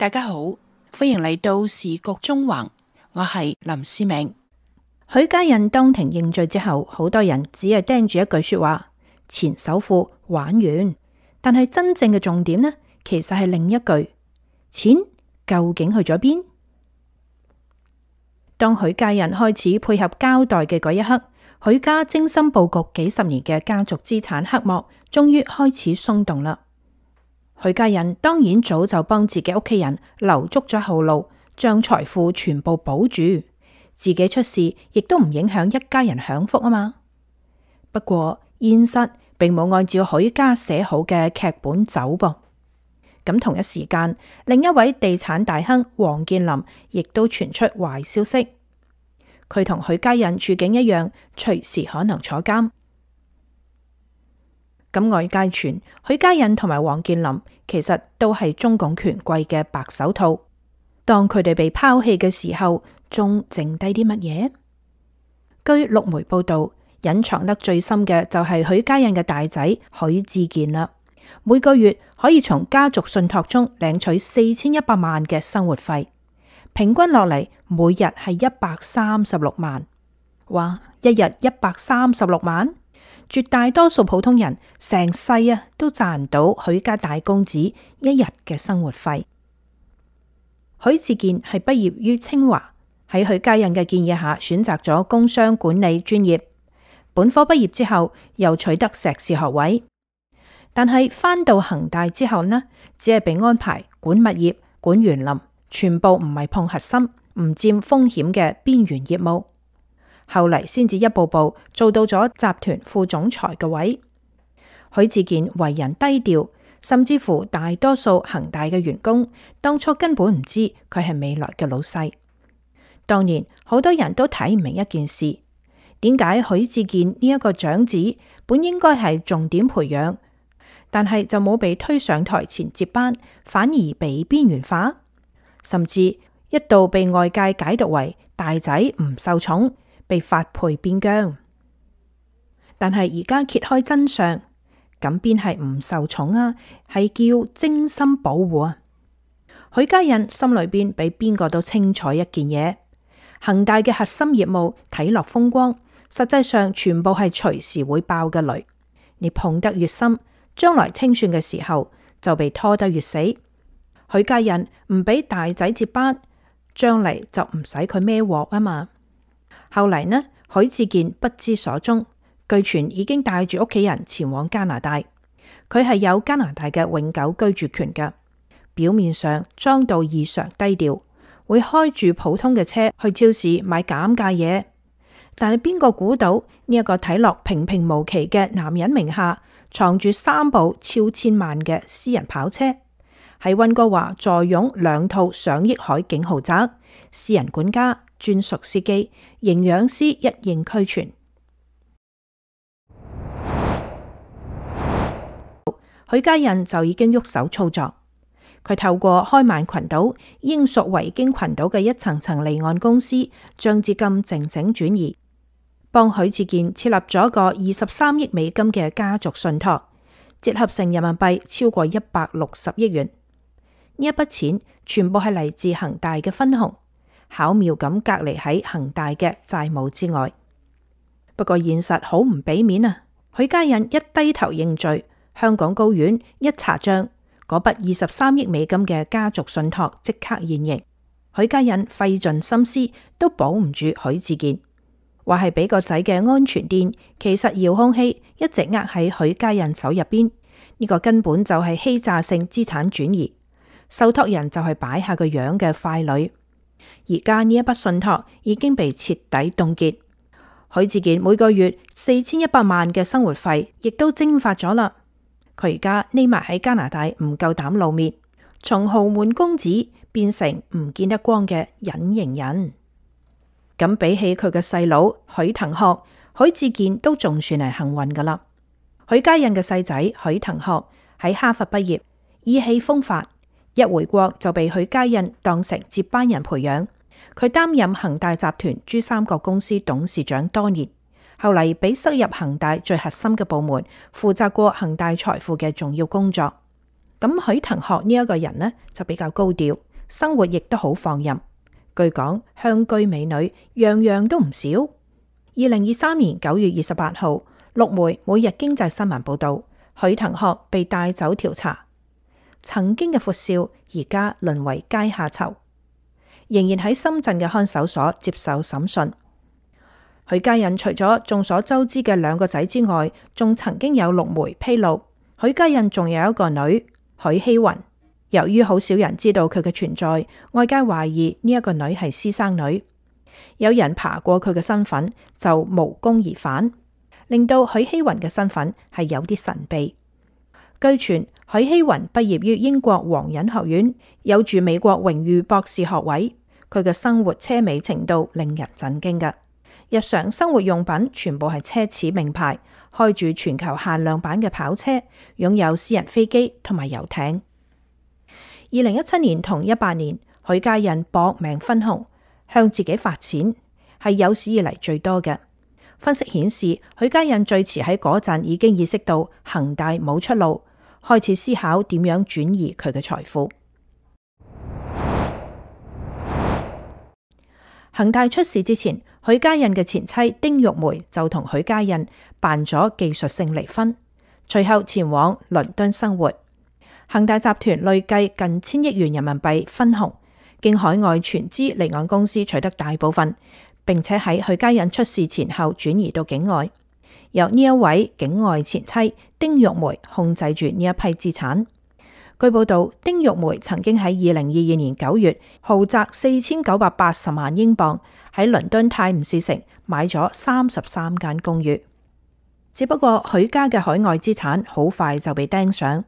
大家好，歡迎嚟到時局中橫，我係林思明。許家印當庭認罪之後，好多人只係盯住一句說話：前首富玩完。但係真正嘅重點呢，其實係另一句：錢究竟去咗邊？當許家印開始配合交代嘅嗰一刻，許家精心布局幾十年嘅家族資產黑幕終於開始鬆動啦。許家印當然早就幫自己屋企人留足咗後路，將財富全部保住，自己出事亦都唔影響一家人享福啊嘛。不過現實並冇按照許家寫好嘅劇本走噃。咁同一時間，另一位地產大亨王健林亦都傳出壞消息，佢同許家印處境一樣，隨時可能坐監。咁外界傳許家印同埋王健林其實都係中共權貴嘅白手套，當佢哋被拋棄嘅時候，仲剩低啲乜嘢？據陸媒報道，隱藏得最深嘅就係許家印嘅大仔許志健啦，每個月可以從家族信託中領取4100萬嘅生活費，平均落嚟每日係136萬。哇，一日136萬！絕大多數普通人成世都賺唔到許家大公子一日嘅生活費。許志健係畢業於清華，喺許家印嘅建議下選擇咗工商管理專業，本科畢業之後又取得碩士學位。但係返到恒大之後呢，只係被安排管物業、管園林，全部唔係碰核心、唔佔風險嘅邊緣業務。後嚟先至一步步做到咗集團副總裁嘅位。許志健為人低調，甚至乎大多數恒大嘅員工當初根本唔知佢係未來嘅老細。當年好多人都睇唔明一件事，點解許志健呢一個長子本應該係重點培養，但係就冇被推上台前接班，反而被邊緣化，甚至一度被外界解讀為大仔唔受寵，被發配邊疆。但係而家揭開真相，咁邊係唔受寵啊？係叫精心保護啊！許家印心裏邊比邊個都清楚一件嘢：恒大嘅核心業務睇落風光，實際上全部係隨時會爆嘅雷。你碰得越深，將來清算嘅時候就被拖得越死。許家印唔俾大仔接班，將嚟就唔使佢孭鑊啊嘛。後嚟呢，許志健不知所蹤，據傳已經帶住屋企人前往加拿大。佢係有加拿大嘅永久居住權㗎，表面上裝到異常低調，會開住普通嘅車去超市買減價嘢。但係邊個估到呢一個睇落平平無奇嘅男人名下藏住3部超千萬嘅私人跑車，喺溫哥華坐擁2套上億海景豪宅，私人管家、專屬司機、營養師一應俱全。許家印就已經喐手操作，佢透過開曼群島、英屬維京群島嘅一層層離岸公司，將資金靜靜轉移，幫許志健設立咗個23億美金嘅家族信託，折合成人民幣超過160億元。呢一筆錢全部係嚟自恒大嘅分紅，巧妙咁隔離喺恒大嘅債務之外。不過現實好唔俾面啊！許家印一低頭認罪，香港高院一查賬，嗰筆23億美金嘅家族信託即刻現形。許家印費盡心思都保唔住許志健，話係俾個仔嘅安全墊，其實遙控器一直握喺許家印手入邊。呢個根本就係欺詐性資產轉移，受託人就係擺下個樣嘅傀儡。而家呢一筆信託已經被徹底凍結，許志健每個月4100萬嘅生活費亦都蒸發咗啦。佢而家匿埋喺加拿大，唔夠膽露面，從豪門公子變成唔見得光嘅隱形人。咁比起佢嘅細佬許騰學，許志健都仲算係幸運噶啦。許家印嘅細仔許騰學喺哈佛畢業，意氣風發，一回國就被許家印當成接班人培養。佢擔任恒大集團珠三角公司董事長多年，後嚟被塞入恒大最核心嘅部門，負責過恒大財富嘅重要工作。咁許騰學呢一個人呢就比較高調，生活亦都好放任。據講，香居美女樣樣都唔少。2023年9月28號，陸媒每日經濟新聞報道，許騰學被帶走調查。曾經嘅闊少，而家淪為階下囚，仍然喺深圳嘅看守所接受審訊。許家印除咗眾所周知嘅2個仔之外，仲曾經有陸媒披露，許家印仲有一個女許希雲。由於好少人知道佢嘅存在，外界懷疑呢一個女係私生女。有人爬過佢嘅身份，就無功而返，令到許希雲嘅身份係有啲神秘。據傳許希雲畢業於英國皇仁學院，有住美國榮譽博士學位。佢嘅生活奢靡程度令人震驚嘅，日常生活用品全部係奢侈名牌，開住全球限量版嘅跑車，擁有私人飛機同埋遊艇。2017年同18年，許家印搏命分紅，向自己發錢，係有史以嚟最多嘅。分析顯示，許家印最遲喺嗰陣已經意識到恒大冇出路，開始思考點樣轉移佢嘅財富。恒大出事之前，許家印嘅前妻丁玉梅就同許家印辦咗技術性離婚，隨後前往倫敦生活。恒大集團累計近1000億元人民幣分紅，經海外全資離岸公司取得大部分，並且喺許家印出事前後轉移到境外，由呢一位境外前妻丁玉梅控制住呢一批資產。據報道，丁玉梅曾經喺2022年9月豪擲4980萬英鎊喺倫敦泰晤士城買咗33間公寓。只不過許家嘅海外資產好快就被盯上。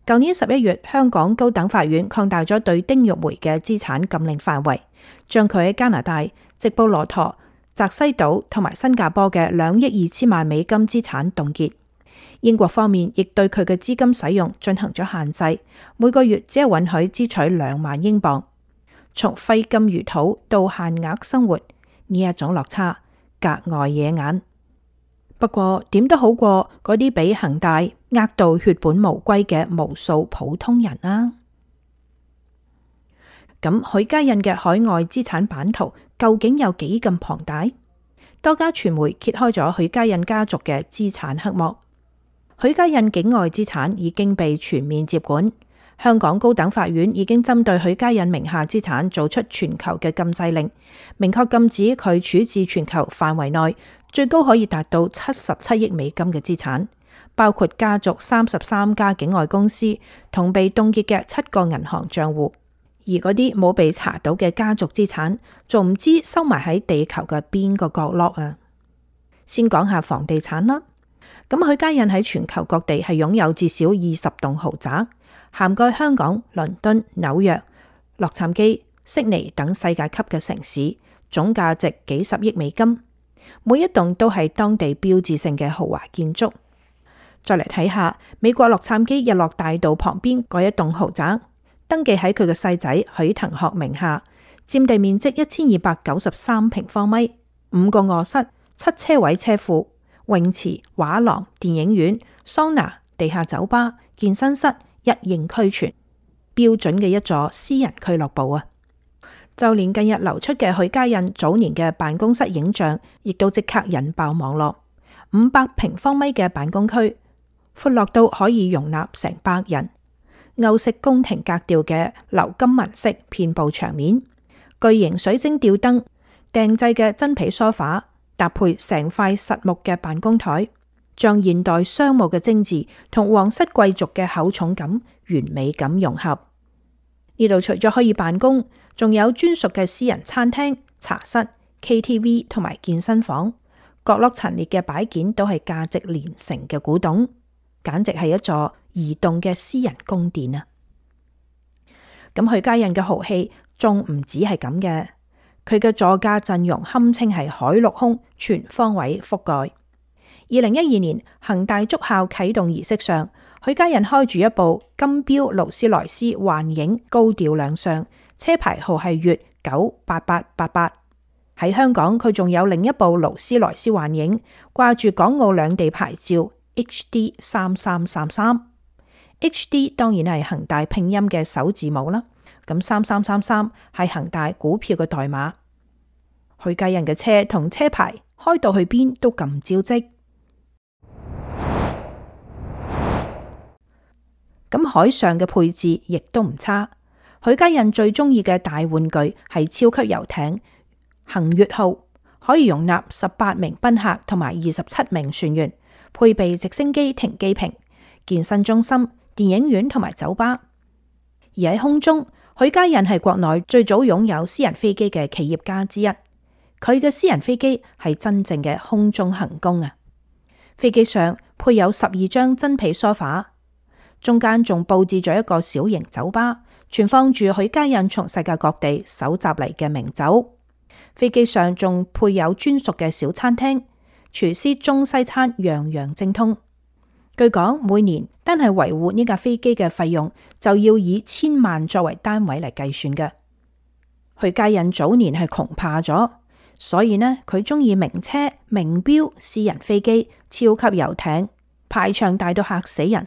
舊年11月，香港高等法院擴大咗對丁玉梅嘅資產禁令範圍，將佢喺加拿大、直布羅陀、澤西島同埋新加坡嘅2億2千萬美金資產凍結。英國方面亦對佢嘅資金使用進行咗限制，每個月只係允許支取2萬英鎊。從揮金如土到限額生活，呢一種落差格外惹眼。不過點都好過嗰啲俾恒大呃到血本無歸嘅無數普通人啊！咁許家印嘅海外資產版圖究竟有幾咁龐大？多家傳媒揭開咗許家印家族嘅資產黑幕。許家印境外資產已經被全面接管，香港高等法院已經針對許家印名下資產做出全球嘅禁制令，明確禁止佢處置全球範圍內最高可以達到77億美金嘅資產，包括家族33家境外公司同被凍結嘅7個銀行賬戶，而嗰啲冇被查到嘅家族資產，仲唔知收埋喺地球嘅邊個角落啊！先講下房地產啦。咁許家印喺全球各地係擁有至少20棟豪宅，涵蓋香港、倫敦、紐約、洛杉磯、悉尼等世界級嘅城市，總價值幾十億美金，每一棟都係當地標誌性嘅豪華建築。再嚟睇下美國洛杉磯日落大道旁邊嗰一棟豪宅，登記喺佢嘅細仔許騰學名下，佔地面積1293平方米，5個臥室、7車位車庫、泳池、畫廊、電影院、桑拿、地下酒吧、健身室一應俱全，標準嘅一座私人俱樂部啊！就連近日流出嘅許家印早年嘅辦公室影像，亦都即刻引爆網絡。500平方米嘅辦公區，闊落到可以容納成百人，歐式宮廷格調嘅鎏金紋飾遍佈牆面，巨型水晶吊燈，訂製嘅真皮梳化，搭配成塊實木嘅辦公台，將現代商務嘅精緻同皇室貴族嘅厚重感完美咁融合。呢度除咗可以辦公，仲有專屬嘅私人餐廳、茶室、KTV 同埋健身房，角落陳列嘅擺件都係價值連城嘅古董，簡直係一座移動嘅私人宮殿啊！咁許家印嘅豪氣仲唔止係咁嘅。佢嘅座駕陣容堪稱係海陸空全方位覆蓋。2012年恒大築校啟動儀式上，許家印開住一部金標勞斯萊斯幻影高調亮相，車牌號係粵98888。喺香港，佢仲有另一部勞斯萊斯幻影，掛住港澳兩地牌照 HD3333。HD 當然係恒大拼音嘅首字母啦。咁3333係恒大股票嘅代碼。許家印嘅車同車牌開到去邊都咁招積。咁海上嘅配置亦都唔差。許家印最中意嘅大玩具係超級遊艇恆月號，可以容納18名賓客同埋27名船員，配備直升機停機坪、健身中心、電影院同埋酒吧。而喺空中，許家印係國內最早擁有私人飛機嘅企業家之一。佢嘅私人飛機係真正嘅空中行宮啊！飛機上配有12張真皮梳化，中間仲佈置咗一個小型酒吧，存放住許家印從世界各地搜集嚟嘅名酒。飛機上仲配有專屬嘅小餐廳，廚師中西餐樣樣精通。據講，每年單係維護呢架飛機嘅費用就要以1000萬作為單位嚟計算嘅。許家印早年係窮怕咗，所以呢，佢中意名車、名錶、私人飛機、超級遊艇，排場大到嚇死人。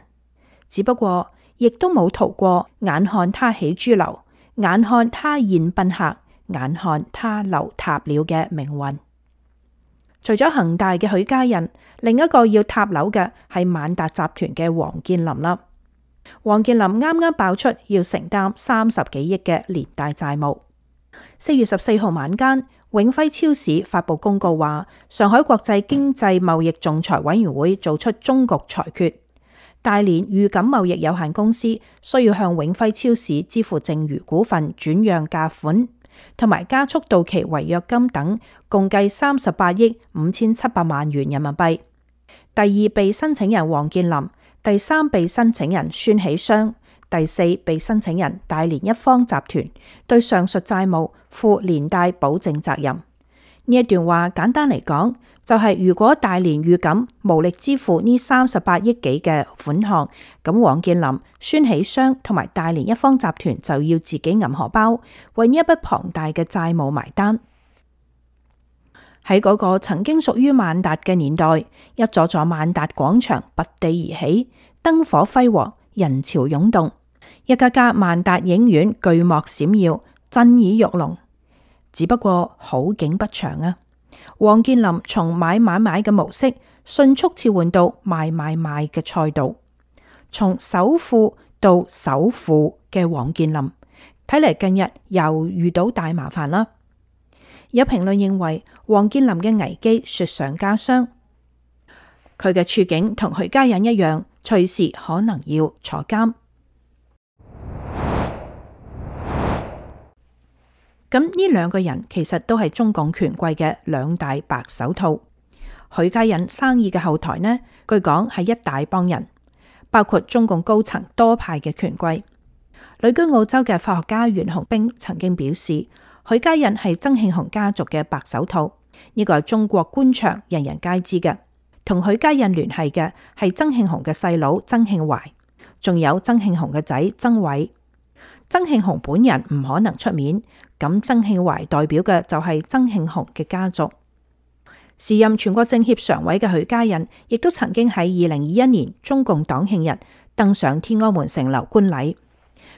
只不過亦都冇逃過眼看他起豬樓，眼看他宴賓客，眼看他樓塌了嘅命運。除咗恒大嘅許家印，另一個要塌樓嘅係萬達集團嘅王健林啦。王健林啱啱爆出要承擔30幾億嘅連帶債務。4月14號晚間，永輝超市發布公告話，上海國際經濟貿易仲裁委員會做出終局裁決，大連裕錦貿易有限公司需要向永輝超市支付剩餘股份轉讓價款同埋加速到期違約金等，共計38億5700萬元人民幣。第二被申請人王健林，第三被申請人孫喜湘，第四被申請人大連一方集團對上述債務負連帶保證責任。呢一段話簡單嚟講，就係如果大連裕錦無力支付呢38億幾嘅款項，咁王健林、孫喜湘同埋大連一方集團就要自己揞荷包，為呢一筆龐大嘅債務埋單。喺嗰個曾經屬於萬達嘅年代，一座座萬達廣場拔地而起，燈火輝煌，人潮湧動，一家家萬達影院巨幕閃耀，震耳欲聾。只不過好景不長啊！王健林從買嘅模式迅速切換到賣嘅賽道，從首富到首富嘅王健林，睇嚟近日又遇到大麻煩啦。有評論認為，王健林嘅危機雪上加霜，佢嘅處境同許家印一樣，隨時可能要坐監。咁呢兩個人其實都係中共權貴嘅兩大白手套。許家印生意嘅後台呢，據講係一大幫人，包括中共高層多派嘅權貴。旅居澳洲嘅法學家袁洪兵曾經表示，許家印係曾慶紅家族嘅白手套，呢個係中國官場人人皆知嘅。同許家印聯繫嘅係曾慶紅嘅細佬曾慶懷，仲有曾慶紅嘅仔曾偉。曾慶紅本人唔可能出面，咁曾慶懷代表嘅就係曾慶紅嘅家族。時任全國政協常委嘅許家印，亦都曾經喺2021年中共黨慶日登上天安門城樓觀禮。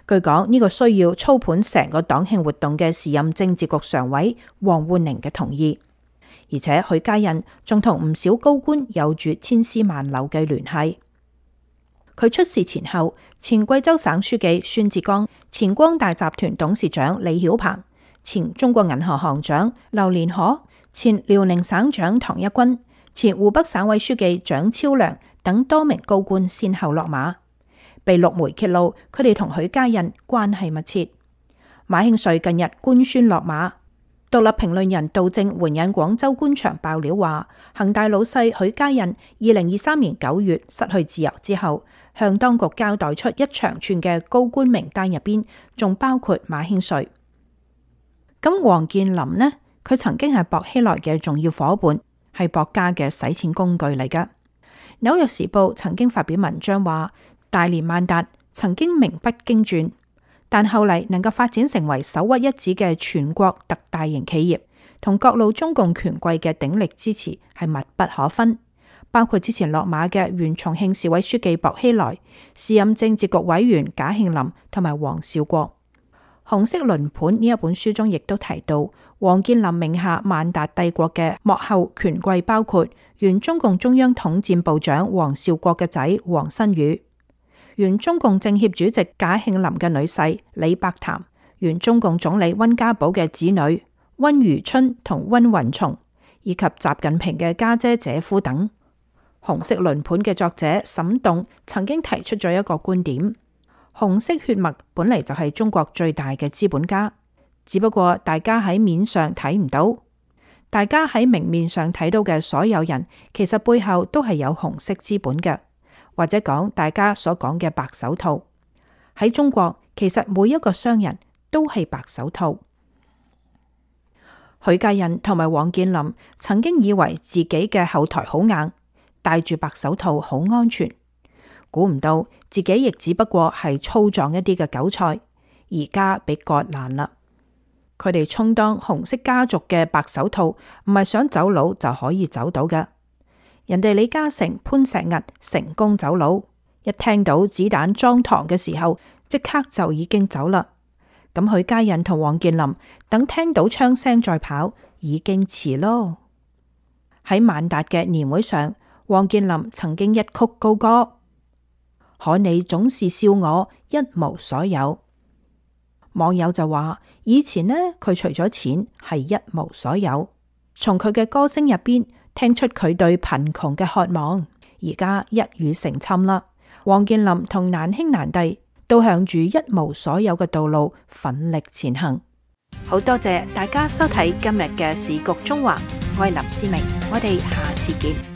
據講呢個需要操盤成個黨慶活動嘅時任政治局常委王滬寧嘅同意，而且許家印仲同唔少高官有住千絲萬縷嘅聯繫。佢出事前後，前貴州省書記孫志剛、前光大集團董事長李曉鵬、前中國銀行行長劉連河、前遼寧省長唐一軍、前湖北省委書記蔣超良等多名高官先後落馬，被陸媒揭露佢哋同許家印關係密切。馬興瑞近日官宣落馬。獨立評論人杜正援引廣州官場爆料話，恒大老細許家印2023年9月失去自由之後，向當局交代出一長串嘅高官名單，入邊仲包括馬興瑞。咁王健林呢？佢曾經係薄熙來嘅重要伙伴，係薄家嘅洗錢工具嚟噶。紐約時報曾經發表文章話，大連萬達曾經名不經傳，但後嚟能夠發展成為首屈一指嘅全國特大型企業，同各路中共權貴嘅鼎力支持係密不可分。包括之前落馬嘅原重慶市委書記薄熙來、時任政治局委員賈慶林同埋黃紹國。紅色輪盤呢一本書中亦都提到，王健林名下萬達帝國嘅幕後權貴包括原中共中央統戰部長王兆國嘅仔王新宇，原中共政協主席賈慶林嘅女婿李伯潭，原中共總理溫家寶嘅子女溫如春同溫雲松，以及習近平嘅家姐姐夫等。紅色輪盤嘅作者沈棟曾經提出咗一個觀點：紅色血脈本嚟就係中國最大嘅資本家，只不過大家喺面上睇唔到。大家喺明面上睇到嘅所有人，其實背後都係有紅色資本嘅，或者講大家所講嘅白手套。喺中國，其實每一個商人都係白手套。許家印同埋王健林曾經以為自己嘅後台好硬，戴住白手套好安全，估唔到自己亦只不過係粗壯一啲嘅韭菜，而家被割爛啦。佢哋充當紅色家族嘅白手套，唔係想走佬就可以走到嘅。人哋李嘉誠、潘石屹成功走佬，一聽到子彈裝膛嘅時候，即刻就已經走啦。咁許家印同王健林等聽到槍聲再跑，已經遲咯。喺萬達嘅年會上，王健林曾經一曲高歌：可你總是笑我一無所有。網友就話：以前呢，佢除咗錢係一無所有。從佢嘅歌聲入邊聽出佢對貧窮嘅渴望。而家一語成讖啦，王健林同難兄難弟都向住一無所有嘅道路奮力前行。好多謝大家收睇今日嘅時局中華，我係林思明，我哋下次見。